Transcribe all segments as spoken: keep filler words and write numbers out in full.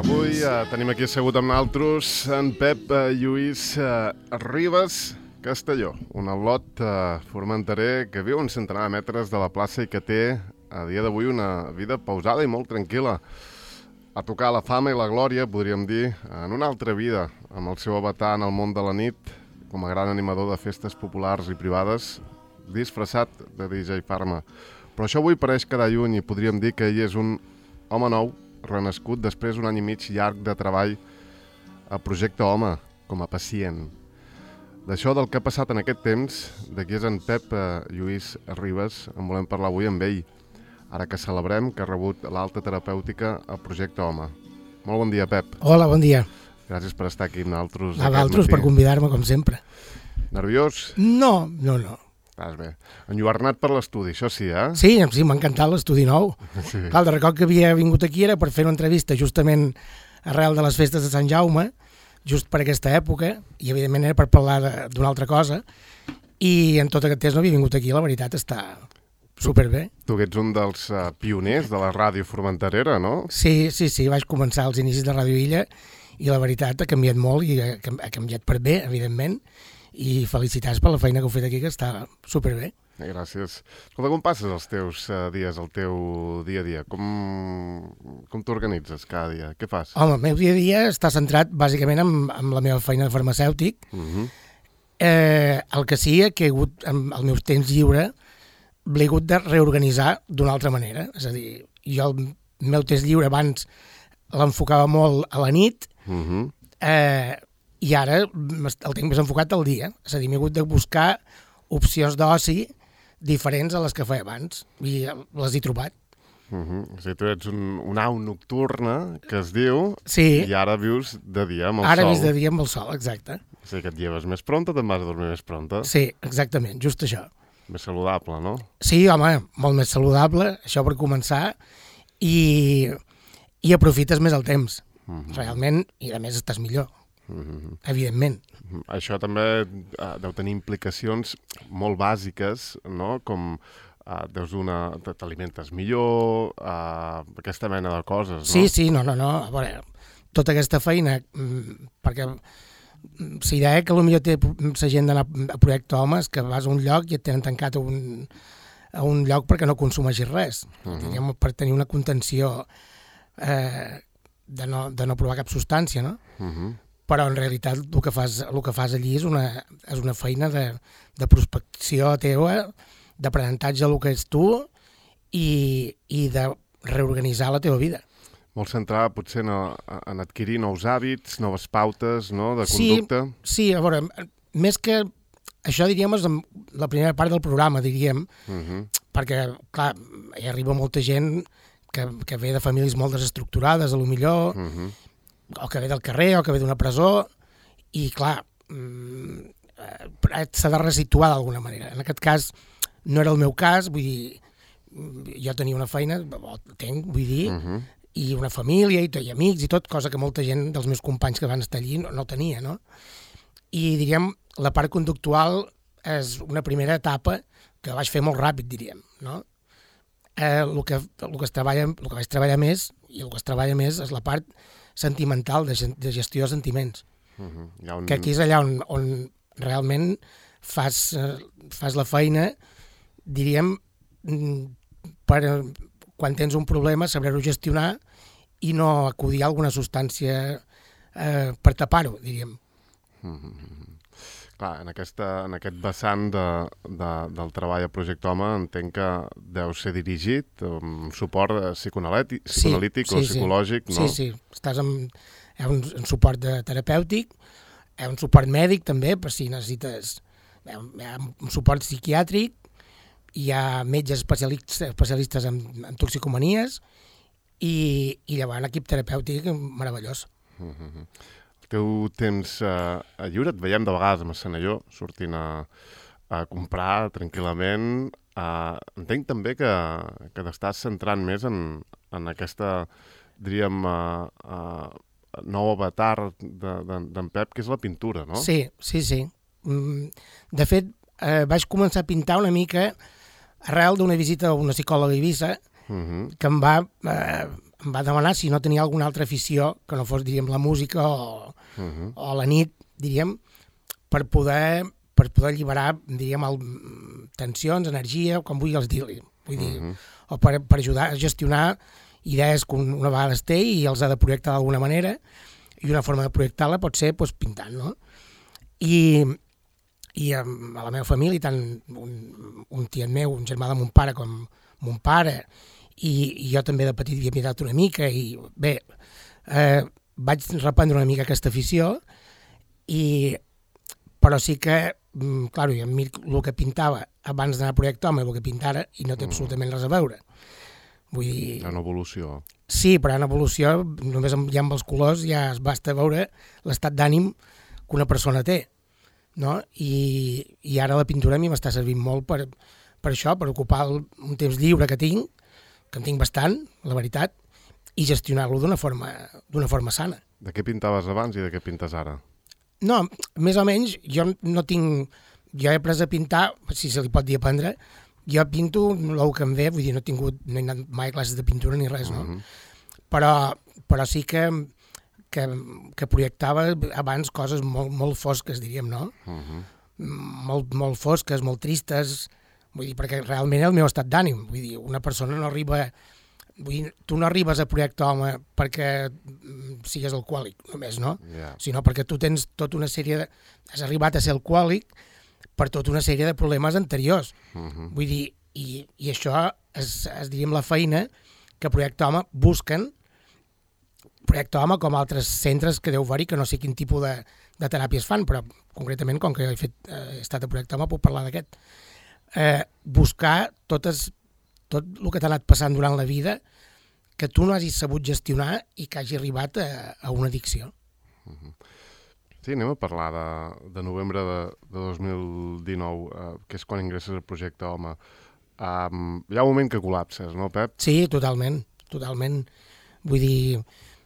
Avui eh, tenim aquí assegut amb nosaltres en Pep eh, Lluís eh, Ribas Castelló, un al·lot eh, formenterer que viu a un centenar de metres de la plaça i que té a dia d'avui una vida pausada i molt tranquil·la. A tocar la fama i la glòria, podríem dir, en una altra vida, amb el seu avatar en el món de la nit, com a gran animador de festes populars i privades, disfressat de D J Pharma. Però això avui pareix quedar lluny i podríem dir que ell és un home nou, renascut després d'un any i mig llarg de treball a Projecte Home, com a pacient. D'això, del que ha passat en aquest temps, de qui és en Pep eh, Lluís Ribas, en volem parlar avui amb ell, ara que celebrem que ha rebut l'alta terapèutica a Projecte Home. Molt bon dia, Pep. Hola, bon dia. Gràcies per estar aquí amb nosaltres. A vosaltres per convidar-me, com sempre. Nerviós? No, no, no. Estàs bé. Enlluernat per l'estudi, això sí, eh? Sí, sí, m'ha encantat l'estudi nou. Sí. Clar, de record que havia vingut aquí era per fer una entrevista justament arrel de les festes de Sant Jaume, just per aquesta època, i evidentment era per parlar d'una altra cosa, i en tot aquest temps no havia vingut aquí, la veritat està superbé. Tu que ets un dels uh, pioners de la ràdio formenterera, no? Sí, sí, sí, vaig començar als inicis de Ràdio Illa i la veritat ha canviat molt i ha, ha canviat per bé, evidentment, i felicitats per la feina que heu fet aquí, que està superbé. Gràcies. Escolta, com passes els teus uh, dies, el teu dia a dia? Com, com t'organitzes cada dia? Què fas? Home, el meu dia a dia està centrat bàsicament en, en la meva feina de farmacèutic. Uh-huh. eh, el que sí que he hagut, amb el meu temps lliure, l'he hagut de reorganitzar d'una altra manera. És a dir, jo el meu temps lliure abans l'enfocava molt a la nit, Uh-huh. eh, i ara el tinc més enfocat al dia. És a dir, m'he hagut de buscar opcions d'oci diferents a les que feia abans, i les he trobat. Uh-huh. O sigui, tu ets un, una au nocturna, que es diu, Sí. i ara vius de dia amb el Ara sol. vis de dia amb el sol, exacte. O sigui, que et lleves més pronta, te'n vas a dormir més pronta. Sí, exactament, just això. Més saludable, no? Sí, home, molt més saludable, això per començar, i, i aprofites més el temps, Uh-huh. realment, i a més estàs millor, Uh-huh. evidentment. Això també uh, deu tenir implicacions molt bàsiques, no? Com uh, deus una... t'alimentes millor, uh, aquesta mena de coses, no? Sí, sí, no, no, no, a veure, tota aquesta feina, mm, perquè si deia que potser té la gent d'anar a Projecte Homes, que vas a un lloc i et tenen tancat a un, a un lloc perquè no consumeixis res, Uh-huh. diguem, per tenir una contenció eh, de, no, de no provar cap substància, no? Uh-huh. Però en realitat el que fas, el que fas allí és una, és una feina de, de prospecció teva, d'aprenentatge del que ets tu i, i de reorganitzar la teva vida. Molt centrada potser en, en adquirir nous hàbits, noves pautes, no?, de Sí, conducta. Sí, a veure, més que això, diríem, és la primera part del programa, diríem, Uh-huh. perquè, clar, hi arriba molta gent que, que ve de famílies molt desestructurades, a lo millor, Uh-huh. o que ve del carrer, o que ve d'una presó, i, clar, mm, eh, s'ha de resituar d'alguna manera. En aquest cas, no era el meu cas, vull dir, jo tenia una feina, o tenc, vull dir, Uh-huh. i una família, i, i amics, i tot, cosa que molta gent dels meus companys que van estar allí no, no tenia, no? I, diríem, la part conductual és una primera etapa que vaig fer molt ràpid, diríem, no? Eh, el, que, el, que es treballa, el que vaig treballar més, i el que es treballa més, és la part sentimental, de, de gestió de sentiments. Uh-huh. Hi ha un... Que aquí és allà on, on realment fas, eh, fas la feina, diríem, mm, per, quan tens un problema, saber-ho gestionar i no acudir a alguna substància eh, per tapar-ho, diríem. Uh-huh. Clar, en, aquesta, en aquest vessant de, de, del treball a Projecte Home entenc que deu ser dirigit amb suport psicoanalític, psicoanalític sí, o sí, psicològic, sí. no? Sí, sí, estàs amb hi ha un, un suport de terapèutic, hi ha un suport mèdic també, per si necessites, hi ha, hi ha un suport psiquiàtric, hi ha metges especialistes, especialistes en, en toxicomanies i, i llavors un equip terapèutic meravellós. Uh-huh. El teu temps uh, lliure et veiem de vegades a Massanelló, sortint a, a comprar tranquil·lament. Uh, entenc també que, que t'estàs centrant més en, en aquesta, diríem, uh, uh, nou avatar d'en de, Pep, que és la pintura, no? Sí, sí, sí. De fet, eh, vaig començar a pintar una mica arrel d'una visita a una psicòloga a Eivissa, uh-huh. que em va, eh, em va demanar si no tenia alguna altra afició que no fos, diríem, la música o, uh -huh. o la nit, diríem, per poder, per poder alliberar, diríem, el, tensions, energia, com vulguis dir-li. Vull dir, uh -huh. o per, per ajudar a gestionar idees que una vegada es té i els ha de projectar d'alguna manera, i una forma de projectar-la pot ser doncs, pintant, no? I, i a la meva família, tant un, un tiet meu, un germà de mon pare com mon pare, i, i jo també de petit havia mirat una mica, i bé, eh, vaig reprendre una mica aquesta afició, i, però sí que, clar, jo em miro el que pintava abans d'anar a Projecte Home, el que pinta ara, i no té absolutament res a veure. Vull dir... En evolució. Sí, però en evolució, només ja amb els colors ja es basta veure l'estat d'ànim que una persona té, no? I, i ara la pintura a mi m'està servint molt per, per això, per ocupar el, un temps lliure que tinc, que en tinc bastant, la veritat, i gestionar-lo d'una forma, d'una forma sana. De què pintaves abans i de què pintes ara? No, més o menys, jo no tinc... Jo he après a pintar, si se li pot dir aprendre, jo pinto el que em ve, vull dir, no he tingut, no he anat mai a classes de pintura ni res, no? Uh -huh. Però, però sí que, que, que projectava abans coses molt, molt fosques, diríem, no? Uh -huh. Molt, molt fosques, molt tristes, vull dir, perquè realment és el meu estat d'ànim, vull dir, una persona no arriba... Vull dir, tu no arribes a Projecte Home perquè sigues alcohòlic, només, no? Yeah. Sinó perquè tu tens tota una sèrie de... Has arribat a ser alcohòlic per tota una sèrie de problemes anteriors. Uh-huh. Vull dir, i, i això és, és, diríem, la feina que Projecte Home busquen, Projecte Home com altres centres que deu haver-hi, que no sé quin tipus de, de teràpies fan, però concretament, com que he, fet, eh, he estat a Projecte Home, puc parlar d'aquest. Eh, buscar totes, tot el que t'ha anat passant durant la vida que tu no hagis sabut gestionar i que hagi arribat a, a una addicció. Uh-huh. Sí, anem a parlar de, de novembre de, de dos mil dinou, eh, que és quan ingresses al Projecte Home. Um, hi ha un moment que col·lapses, no, Pep? Sí, totalment, totalment. Vull dir,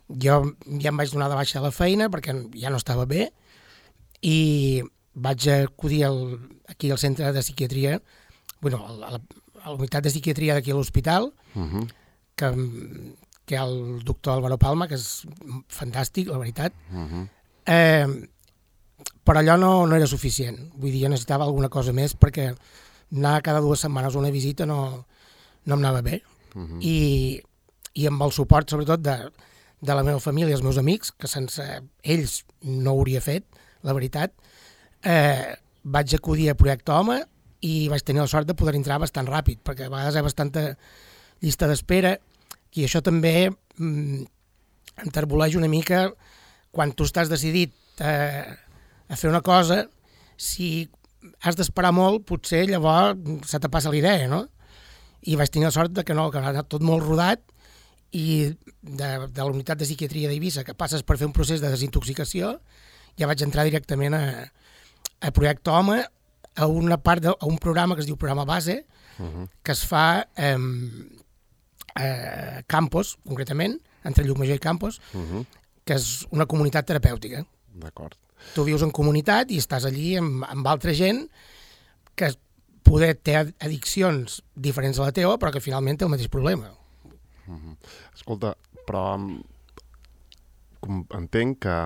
jo ja em vaig donar de baixa a la feina perquè ja no estava bé i vaig acudir al, aquí al centre de psiquiatria, bueno, a la, a la unitat de psiquiatria d'aquí a l'hospital, uh-huh. que, que hi ha el doctor Álvaro Palma, que és fantàstic, la veritat. Uh-huh. Eh, però allò no, no era suficient. Vull dir, jo necessitava alguna cosa més perquè anar cada dues setmanes a una visita no, no em anava bé. Uh-huh. I, i amb el suport, sobretot, de, de la meva família i els meus amics, que sense ells no ho hauria fet, la veritat, eh, vaig acudir a Projecte Home i vaig tenir la sort de poder entrar bastant ràpid, perquè a vegades hi ha bastanta llista d'espera, i això també mm, enterboleix una mica quan tu estàs decidit eh, a fer una cosa, si has d'esperar molt, potser llavors se te passa la idea, no? I vaig tenir la sort de que no, que ha anat tot molt rodat, i de, de la unitat de psiquiatria d'Eivissa, que passes per fer un procés de desintoxicació, ja vaig entrar directament a, a Projecte Home, a una part de, a un programa que es diu Programa Base, uh-huh. que es fa eh, a Campos, concretament, entre Llucmajor i Campos, uh-huh. que és una comunitat terapèutica. D'acord. Tu vius en comunitat i estàs allí amb, amb altra gent que poder té addiccions diferents a la teva, però que finalment té el mateix problema. Uh-huh. Escolta, però com entenc que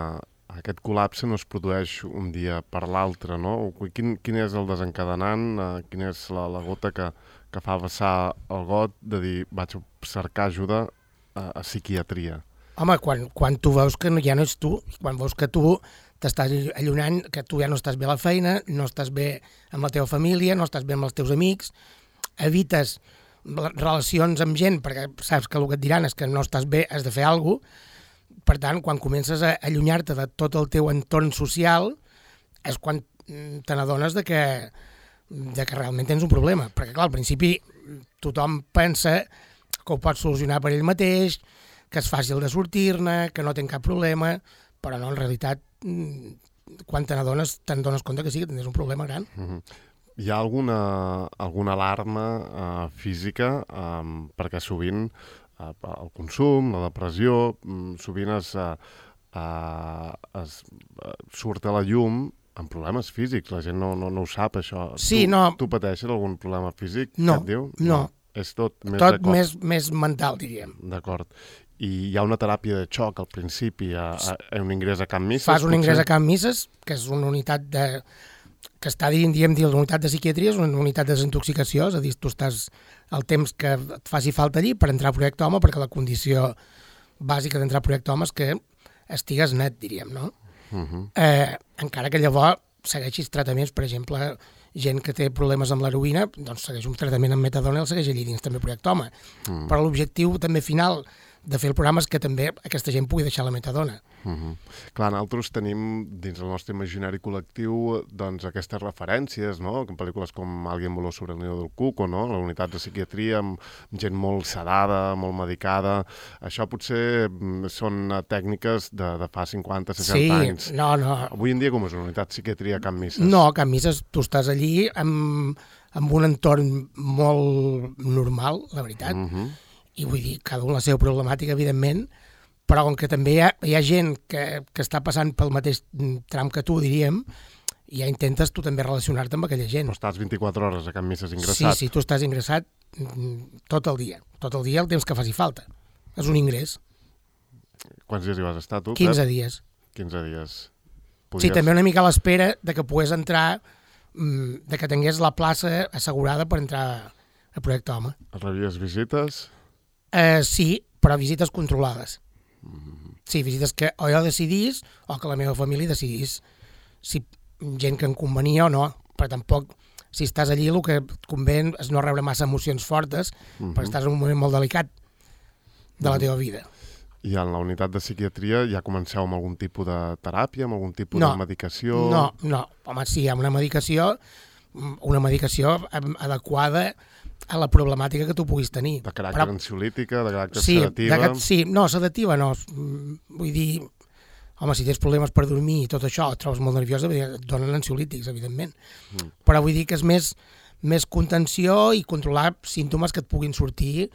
aquest col·lapse no es produeix un dia per l'altre, no? Quin, quin és el desencadenant, uh, quina és la, la gota que, que fa vessar el got de dir vaig cercar ajuda a, a psiquiatria? Home, quan, quan tu veus que ja no ets tu, quan veus que tu t'estàs allunyant, que tu ja no estàs bé a la feina, no estàs bé amb la teva família, no estàs bé amb els teus amics, evites relacions amb gent perquè saps que el que et diran és que no estàs bé, has de fer alguna cosa. Per tant, quan comences a allunyar-te de tot el teu entorn social és quan te n'adones de que, de que realment tens un problema. Perquè, clar, al principi tothom pensa que ho pot solucionar per ell mateix, que és fàcil de sortir-ne, que no té cap problema, però no, en realitat, quan te n'adones, te'n dones compte que sí, que tens un problema gran. Uh-huh. Hi ha alguna, alguna alarma uh, física um, perquè sovint uh, el consum, la depressió, um, sovint es, uh, uh, es uh, surt a la llum amb problemes físics. La gent no, no, no ho sap, això. Sí, tu, no. Tu pateixes algun problema físic? No, que et diu? no. És tot més tot de cop. més, més mental, diríem. D'acord. i hi ha una teràpia de xoc al principi, a, a, a un ingrés a Can Misses. Fas un potser? ingrés a Can Misses, que és una unitat de... que està dient, diem, dir, la unitat de psiquiatria, és una unitat de desintoxicació, és a dir, tu estàs el temps que et faci falta allí per entrar a Projecte Home, perquè la condició bàsica d'entrar a Projecte Home és que estigues net, diríem, no? Uh -huh. eh, encara que llavors segueixis tractaments, per exemple, gent que té problemes amb l'heroïna, doncs segueix un tractament amb metadona i el segueix allí dins també Projecte Home. Uh -huh. Però l'objectiu també final de fer el programa és que també aquesta gent pugui deixar la metadona. Uh -huh. Clar, nosaltres tenim dins el nostre imaginari col·lectiu doncs aquestes referències, no? En pel·lícules com Alguien voló sobre el nido del cuco, no? La unitat de psiquiatria amb gent molt sedada, molt medicada. Això potser són tècniques de, de fa cinquanta, seixanta sí, anys. Sí, no, no. Avui en dia com és una unitat de psiquiatria a Can Misses? No, a Can Misses tu estàs allí amb, amb un entorn molt normal, la veritat. Uh -huh. I vull dir, cada un la seva problemàtica, evidentment, però com que també hi ha, hi ha gent que, que està passant pel mateix tram que tu, diríem, ja intentes tu també relacionar-te amb aquella gent. Però estàs vint-i-quatre hores a Can Misses ingressat. Sí, sí, tu estàs ingressat tot el dia, tot el dia el temps que faci falta. És un ingrés. Quants dies hi vas estar, tu, quinze Pep? dies. quinze dies. Podies... Sí, també una mica a l'espera de que pogués entrar, de que tingués la plaça assegurada per entrar a Projecte Home. Rebies visites? Uh, sí, però visites controlades. Sí, visites que o jo decidís o que la meva família decidís si gent que em convenia o no, però tampoc, si estàs allí, el que et convé és no rebre massa emocions fortes, uh -huh. perquè estàs en un moment molt delicat de la teva vida. I en la unitat de psiquiatria ja comenceu amb algun tipus de teràpia, amb algun tipus no, de medicació? No, no, home, sí, amb una medicació, una medicació adequada a la problemàtica que tu puguis tenir. De caràcter però... ansiolítica, de caràcter sí, sedativa? De, sí, no, sedativa no. Vull dir, home, si tens problemes per dormir i tot això, et trobes molt nerviosa, et donen ansiolítics, evidentment. Mm. Però vull dir que és més, més contenció i controlar símptomes que et puguin sortir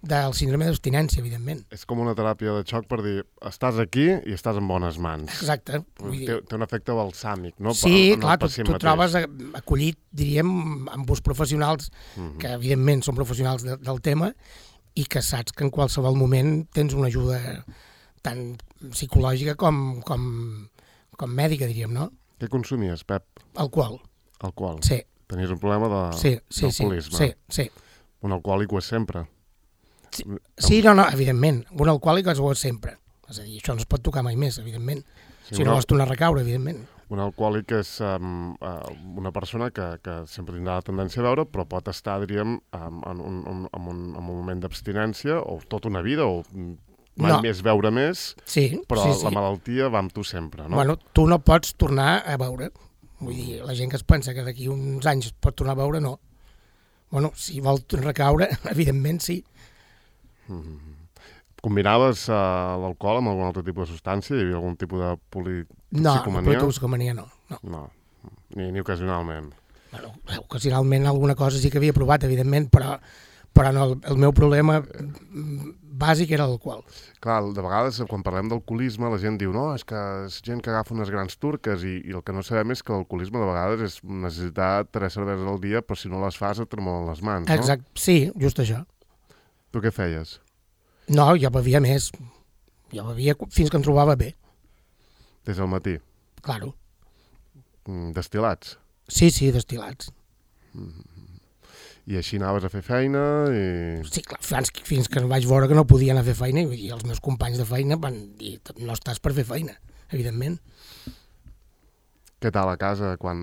del síndrome d'abstinència, evidentment. És com una teràpia de xoc per dir, estàs aquí i estàs en bones mans. Exacte. Vull dir... té, té un efecte balsàmic, no? Sí, en clar, tu, tu trobes acollit, diríem, amb uns professionals mm-hmm. que, evidentment, són professionals de, del tema i que saps que en qualsevol moment tens una ajuda tant psicològica com, com, com mèdica, diríem, no? Què consumies, Pep? Alcohol. Alcohol? Sí. Tenies un problema de, sí, sí, d'alcoholisme? Sí, sí. Un alcohòlic ho és sempre? Sí, sí, no, no, evidentment. Un alcohòlic ho és sempre. És a dir, això no es pot tocar mai més, evidentment. Sí, si no vols tornar a recaure, evidentment. Un alcohòlic és um, uh, una persona que, que sempre tindrà la tendència a beure, però pot estar, diríem, um, en, un, en, un, en un moment d'abstinència, o tota una vida, o mai no. més beure més, sí, però sí, sí. la malaltia va amb tu sempre, no? Bueno, tu no pots tornar a beure. Vull dir, la gent que es pensa que d'aquí uns anys pot tornar a beure, no. Bueno, si vol recaure, evidentment sí. Mm-hmm. Combinaves uh, l'alcohol amb algun altre tipus de substància? Hi havia algun tipus de politoxicomania? No, politoxicomania no. No, no. Ni, ni ocasionalment. Bueno, ocasionalment alguna cosa sí que havia provat, evidentment, però, però no, el, el meu problema bàsic era l'alcohol. Clar, de vegades quan parlem d'alcoholisme la gent diu no, és que és gent que agafa unes grans turques i, i el que no sabem és que l'alcoholisme de vegades és necessitar tres cerveses al dia, però si no les fas et tremolen les mans, no? Exacte, sí, just això. Tu què feies? No, jo bevia més. Jo bevia fins que em trobava bé. Des del matí? Claro. Destil·lats? Sí, sí, destil·lats. Mm-hmm. I així anaves a fer feina i... Sí, clar, fins, fins que vaig veure que no podia anar a fer feina i els meus companys de feina van dir no estàs per fer feina, evidentment. Què tal a casa quan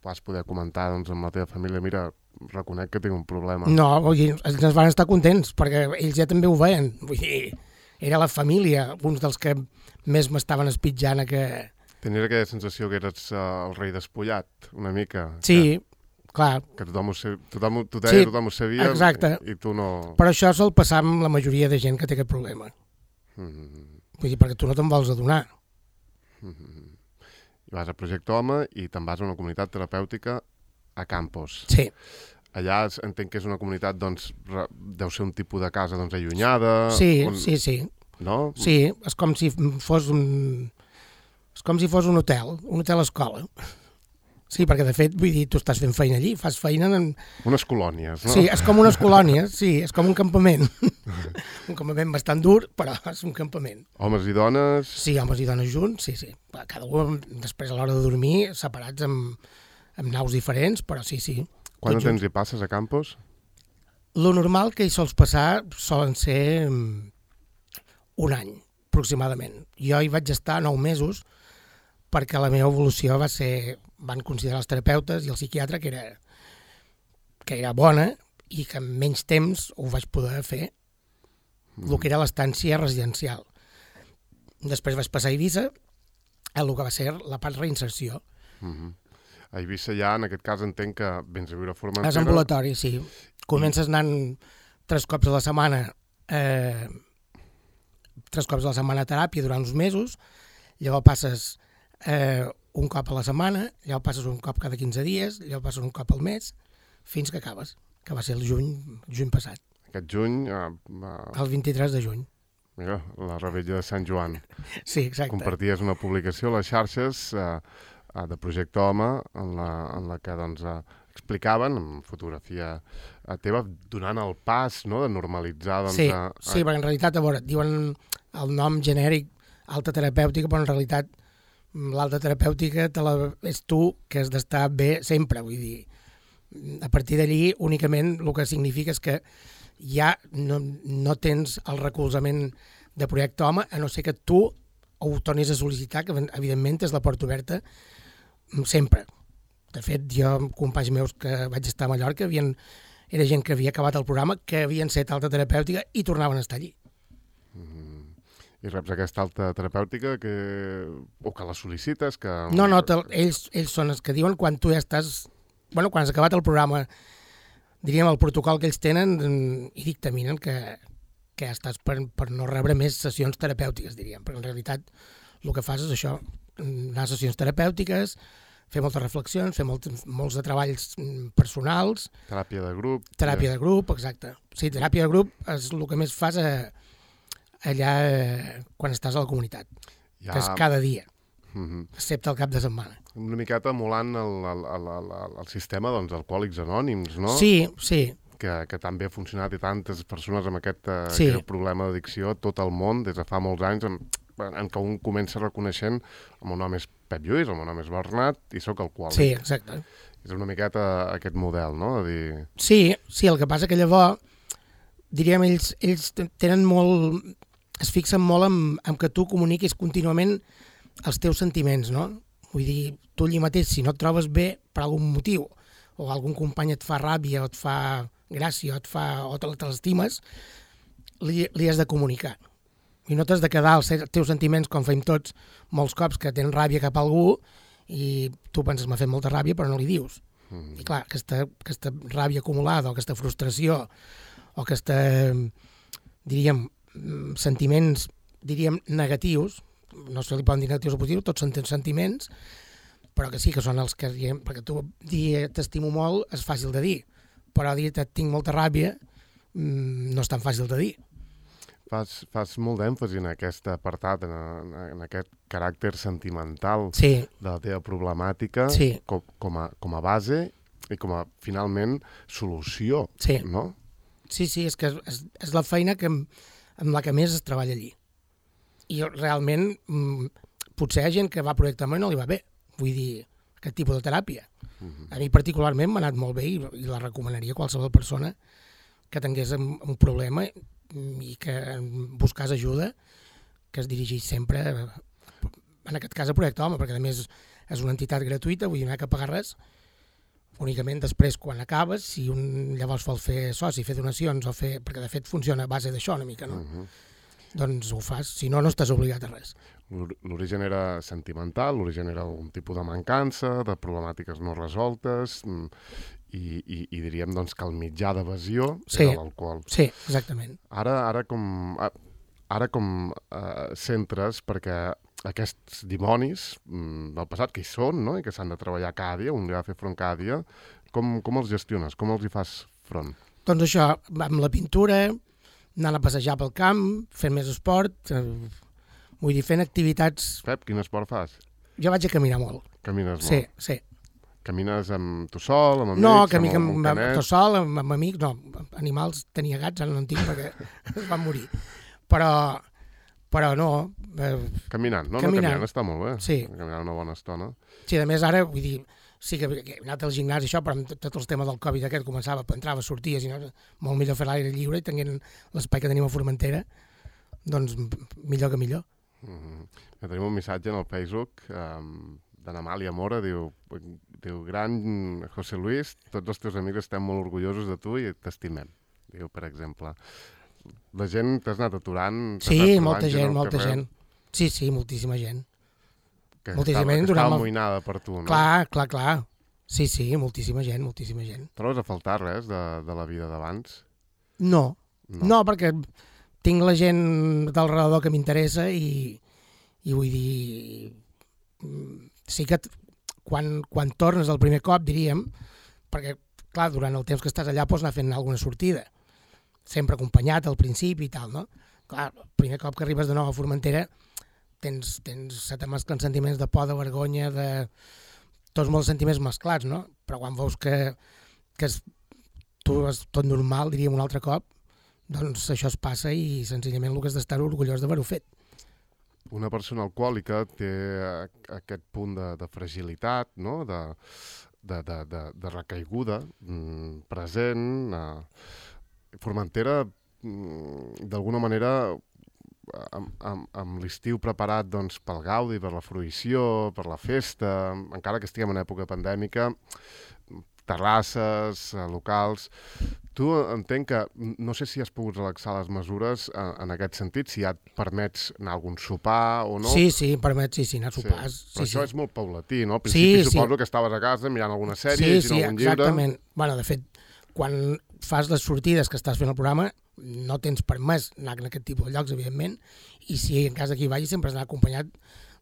vas poder comentar doncs, amb la teva família, mira, reconec que tinc un problema? No, vull dir, ens van estar contents perquè ells ja també ho veien. Vull dir, era la família, uns dels que més m'estaven espitjant a que... Tenies aquella sensació que eres uh, el rei despullat, una mica? Sí, que, clar. Que tothom ho, tothom, tu deia, sí, tothom ho sabia exacte. I, i tu no... Però això sol passar amb la majoria de gent que té aquest problema. Mm-hmm. Vull dir, perquè tu no te'n vols adonar. Mm-hmm. I vas a Projecte Home i te'n vas a una comunitat terapèutica a Campos. Sí. Allà entenc que és una comunitat, doncs, deu ser un tipus de casa doncs, allunyada... Sí, on... sí, sí. No? Sí, és com si fos un... És com si fos un hotel, un hotel escola. Sí, perquè de fet, vull dir, tu estàs fent feina allí, fas feina en... Unes colònies, no? Sí, és com unes colònies, sí, és com un campament. Un campament bastant dur, però és un campament. Homes i dones... Sí, homes i dones junts, sí, sí. Cada un, després a l'hora de dormir, separats amb, amb naus diferents, però sí, sí. Quant de temps hi passes a Campos? Lo normal que hi sols passar solen ser un any, aproximadament. Jo hi vaig estar nou mesos, perquè la meva evolució va ser... Van considerar els terapeutes i el psiquiatre que era, que era bona i que en menys temps ho vaig poder fer, mm. el que era l'estància residencial. Després vaig passar a Eivissa, el que va ser la part reinserció. Mm-hmm. A Eivissa ja, en aquest cas, entenc que vens a viure a Formentera... És ambulatori, sí. Comences anant tres cops a la setmana, eh, tres cops a la setmana a teràpia durant uns mesos, llavors passes... Eh, un cop a la setmana, llavors passes un cop cada quinze dies, llavors passes un cop al mes, fins que acabes, que va ser el juny, juny passat. Aquest juny... Uh, uh, el vint-i-tres de juny. Mira, la revetlla de Sant Joan. Sí, exacte. Comparties una publicació a les xarxes uh, uh, de Projecte Home, en la, en la que doncs, uh, explicaven, amb fotografia uh, teva, donant el pas, no?, de normalitzar... Doncs, sí, uh, sí, perquè en realitat, a veure, diuen el nom genèric alta terapèutica, però en realitat l'alta terapèutica te la, és tu que has d'estar bé sempre, vull dir. A partir d'allí, únicament el que significa és que ja no, no tens el recolzament de Projecte Home, a no ser que tu ho tornis a sol·licitar, que evidentment és la porta oberta sempre. De fet, jo, companys meus que vaig estar a Mallorca, havien, era gent que havia acabat el programa, que havien set alta terapèutica i tornaven a estar allí. Mm-hmm. I reps aquesta alta terapèutica que... o que la sol·licites? Que... No, no, ells, ells són els que diuen quan tu ja estàs... Bueno, quan has acabat el programa, diríem, el protocol que ells tenen i dictaminen que, que estàs per, per no rebre més sessions terapèutiques, diríem, perquè en realitat el que fas és això, anar a sessions terapèutiques, fer moltes reflexions, fer molts, molts de treballs personals... Teràpia de grup. Teràpia de grup, exacte. Sí, teràpia de grup és el que més fas a... allà eh, quan estàs a la comunitat, ja... que és cada dia, mm-hmm. excepte el cap de setmana. Una miqueta emulant el, el, el, el, el sistema doncs, d'Alcohòlics Anònims, no? Sí, sí. Que, que també ha funcionat i tantes persones amb aquest, uh, sí. aquest problema d'addicció a tot el món, des de fa molts anys, en, en què un comença reconeixent el meu nom és Pep Lluís, el meu nom és Bernat i sóc alcohòlic. Sí, exacte. És una miqueta aquest model, no? De dir... Sí, sí, el que passa que llavors, diríem, ells, ells tenen molt... es fixen molt en, en que tu comuniquis contínuament els teus sentiments, no? Vull dir, tu allí mateix, si no et trobes bé per algun motiu, o algun company et fa ràbia, o et fa gràcia, o et fa, o te l'estimes, li, li has de comunicar. I no t'has de quedar els teus sentiments, com fem tots, molts cops que tens ràbia cap a algú, i tu penses, m'ha fet molta ràbia, però no li dius. Mm. I clar, aquesta, aquesta ràbia acumulada, o aquesta frustració, o aquesta, diríem, sentiments, diríem, negatius, no se li poden dir negatius o positius, tots són sentiments, però que sí que són els que, perquè tu dir t'estimo molt és fàcil de dir, però dir et tinc molta ràbia no és tan fàcil de dir. Fas, fas molt d'èmfasi en aquest apartat, en, en aquest caràcter sentimental sí. de la teva problemàtica sí. com, com, a, com a base i com a, finalment, solució, sí. no? Sí, sí, és que és, és la feina que amb la que més es treballa allí. I realment, potser hi ha gent que va a Projecte Home i no li va bé. Vull dir, aquest tipus de teràpia. Uh-huh. A mi particularment m'ha anat molt bé i, i la recomanaria a qualsevol persona que tingués un, un problema i que buscés ajuda, que es dirigís sempre, en aquest cas, a Projecte Home, perquè a més és una entitat gratuïta, vull dir, no hi ha que pagar res. Únicament després, quan acabes, si un llavors vol fer soci, fer donacions, o fer, perquè de fet funciona a base d'això una mica, no? Uh-huh. Doncs ho fas, si no, no estàs obligat a res. L'origen era sentimental, l'origen era un tipus de mancança, de problemàtiques no resoltes, i, i, i diríem doncs, que el mitjà d'evasió sí, era l'alcohol. Sí, exactament. Ara, ara com, ara com eh, centres, perquè aquests dimonis mm, del passat que hi són, no?, i que s'han de treballar cada dia, un dia de fer front cada dia, com, com els gestiones? Com els hi fas front? Doncs això, amb la pintura, anant a passejar pel camp, fent més esport, eh, vull dir, fent activitats... Pep, quin esport fas? Jo vaig a caminar molt. Camines molt? Sí, sí. Camines amb tu sol, amb amics, no, amb camí, algun amb, amb, canet? tot sol, amb, amb amics, no, animals tenia gats, ara no en tinc perquè es van morir. Però, però no. Eh, Caminant, no? Caminant. No, caminant està molt bé. Sí. Caminant una bona estona. Sí, a més ara, vull dir, sí que he anat al gimnàs i això, però amb tot el tema del Covid aquest començava, entrava, sorties, i no, molt millor fer l'aire lliure i tenint l'espai que tenim a Formentera, doncs millor que millor. Mm-hmm. Tenim un missatge en el Facebook um, d'Anna Amàlia Mora, diu, diu, gran José Luis, tots els teus amics estem molt orgullosos de tu i t'estimem. Diu, per exemple. La gent t'has anat aturant? Sí, anat molta gent, molta carrer, gent. Sí, sí, moltíssima gent. Que moltíssima estava, gent que estava durant el- amoïnada per tu, no? Clar, clar, clar. Sí, sí, moltíssima gent, moltíssima gent. Trobes a faltar res de, de la vida d'abans? No, no, no, perquè tinc la gent del redador que m'interessa i, i vull dir... Sí que t- quan, quan tornes el primer cop, diríem, perquè, clar, durant el temps que estàs allà pots anar fent alguna sortida, sempre acompanyat al principi i tal, no? Clar, el primer cop que arribes de nou a Formentera tens, tens se te mesclen sentiments de por, de vergonya, de... tots molts sentiments mesclats, no? Però quan veus que, que és, tu és tot normal, diríem un altre cop, doncs això es passa i senzillament el que has d'estar orgullós d'haver-ho fet. Una persona alcohòlica té aquest punt de, de fragilitat, no? de, de, de, de, de recaiguda mm, present. Eh. Formentera, mm, d'alguna manera, amb, amb, amb l'estiu preparat doncs, pel gaudi, per la fruïció, per la festa, encara que estiguem en època pandèmica, terrasses, eh, locals... Tu entenc que, no sé si has pogut relaxar les mesures en, en aquest sentit, si ja et permets anar a algun sopar o no. Sí, sí, em permet, sí, sí, anar a sopars. Sí. Però Sí, això sí. és molt paulatí, no? Al principi Sí, sí. suposo que estaves a casa mirant alguna sèrie, Sí, llegint sí, algun llibre... exactament. Bueno, de fet, quan fas les sortides que estàs fent el programa, no tens permès anar en aquest tipus de llocs, evidentment, i si en cas que hi vagis sempre has d'anar acompanyat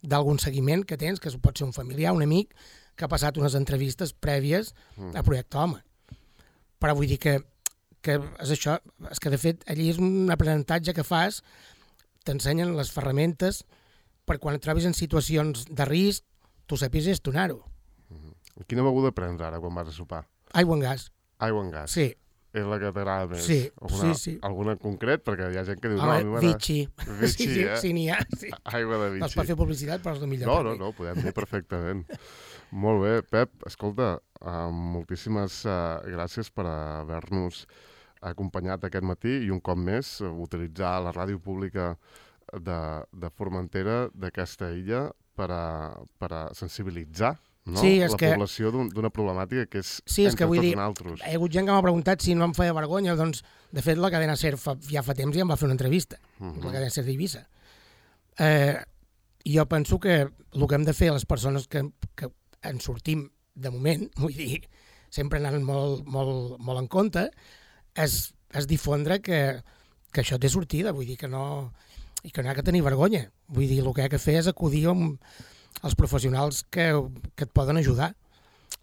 d'algun seguiment que tens, que pot ser un familiar, un amic, que ha passat unes entrevistes prèvies Mm. a Projecte Home. Però vull dir que, que és això, és que de fet allí és un aprenentatge que fas, t'ensenyen les ferramentes per quan et trobis en situacions de risc, tu sàpigues gestionar-ho. Quina beguda prens ara quan vas a sopar? Aigua en gas, Aigua en gas. sí. És la que t'agrada més? Sí, alguna, sí, sí. Alguna en concret? Perquè hi ha gent que diu... Home, no, a mi m'agrada- Vichy. Vichy, sí, sí, eh? sí, n'hi ha. Sí. Aigua de No es Vichy. pot fer publicitat, però és el millor. No, per no, mi. no, ho podem dir perfectament. Molt bé, Pep, escolta, uh, moltíssimes uh, gràcies per haver-nos acompanyat aquest matí i un cop més uh, utilitzar la ràdio pública de, de Formentera, d'aquesta illa, per a, per a sensibilitzar, no? Sí, és la que- població d'un- d'una problemàtica que és Sí, és entre que vull tots dir, nosaltres. hi ha hagut gent que m'ha preguntat si no em feia vergonya, doncs, de fet, la cadena SER fa, ja fa temps ja em va fer una entrevista, Mhm. la cadena SER d'Eivissa. Eh, jo penso que el que hem de fer les persones que, que en sortim de moment, vull dir, sempre anant molt, molt, molt en compte, és, és difondre que, que això té sortida, vull dir que no, i que no hi ha que tenir vergonya. Vull dir, el que hi ha que fer és acudir amb els professionals que, que et poden ajudar.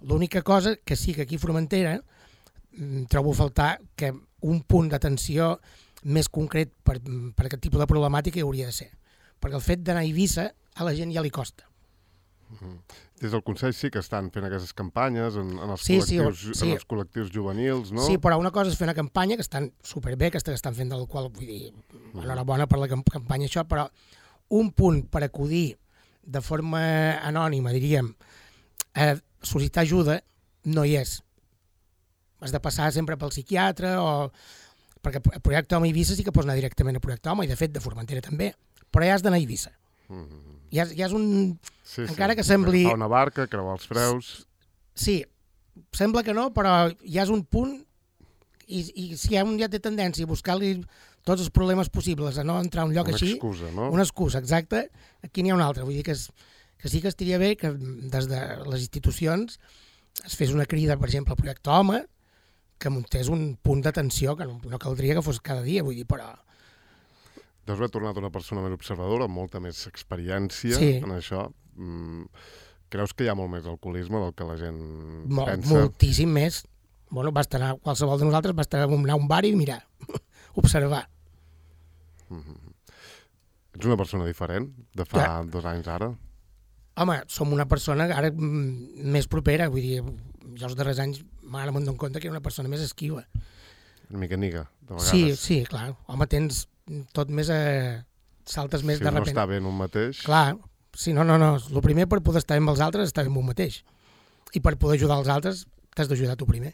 L'única cosa que sí que aquí a Formentera mm, trobo a faltar que un punt d'atenció més concret per, per aquest tipus de problemàtica hi hauria de ser. Perquè el fet d'anar a Eivissa a la gent ja li costa. Des del Consell sí que estan fent aquestes campanyes en, en, els, Sí, sí, col·lectius, sí. en els col·lectius juvenils, no? Sí, però una cosa és fer una campanya, que estan superbé, aquesta que estan fent, del qual vull dir, enhorabona per la camp- campanya això, però un punt per acudir de forma anònima, diríem, a sol·licitar ajuda, no hi és. Has de passar sempre pel psiquiatre o... Perquè a Projecte Home a Eivissa sí que pots anar directament a Projecte Home, i de fet de Formentera també, però ja has d'anar a Eivissa. Mm-hmm. Ja, és- ja és un... Sí, encara sí. que sembli- Agafar una barca, creuar els freus... Sí, sembla que no, però ja és un punt i, i si ja un ja té tendència a buscar-li tots els problemes possibles, a no entrar a un lloc Una així... excusa, no? Una excusa, exacte. Aquí n'hi ha una altra. Vull dir que, és, que sí que estaria bé que des de les institucions es fes una crida, per exemple, al Projecte Home, que muntés un punt d'atenció, que no, no caldria que fos cada dia, vull dir, però... Deus haver tornat una persona més observadora, amb molta més experiència Sí. en això. Mm, creus que hi ha molt més alcoholisme del que la gent Mol, pensa? moltíssim més. Bueno, basta anar, qualsevol de nosaltres basta anar a un bar i mirar, observar. Ets una persona diferent de fa Ja. dos anys ara? Home, som una persona ara més propera, vull dir, jo els darrers anys m'ara m'en dono compte que era una persona més esquiva. Una mica niga, de vegades. Sí, sí, clar. Home, tens tot més a... saltes més si de Si repent. no està bé en un mateix... Clar, sí, no, no, no. El primer per poder estar amb els altres és estar amb un mateix. I per poder ajudar els altres t'has d'ajudar tu primer.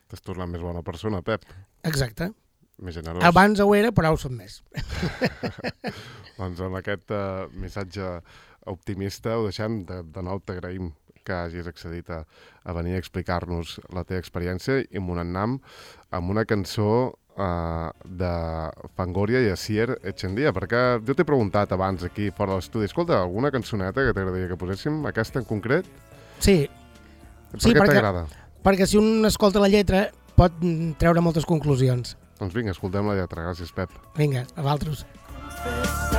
T'has tornat més bona persona, Pep. Exacte. Més generós. Abans ho era, però ho som més. Doncs amb aquest uh, missatge optimista ho deixem. De, de nou t'agraïm que hagis accedit a, a venir a explicar-nos la teva experiència i amb un annam amb una cançó uh, de Fangoria i Asier Echendia, perquè jo t'he preguntat abans aquí fora de l'estudi, escolta, alguna cançoneta que t'agradaria que poséssim, aquesta en concret? Sí. Per sí, què perquè, t'agrada? Perquè si un escolta la lletra pot treure moltes conclusions. Doncs vinga, escoltem la lletra. Gràcies, Pep. Vinga, a vosaltres.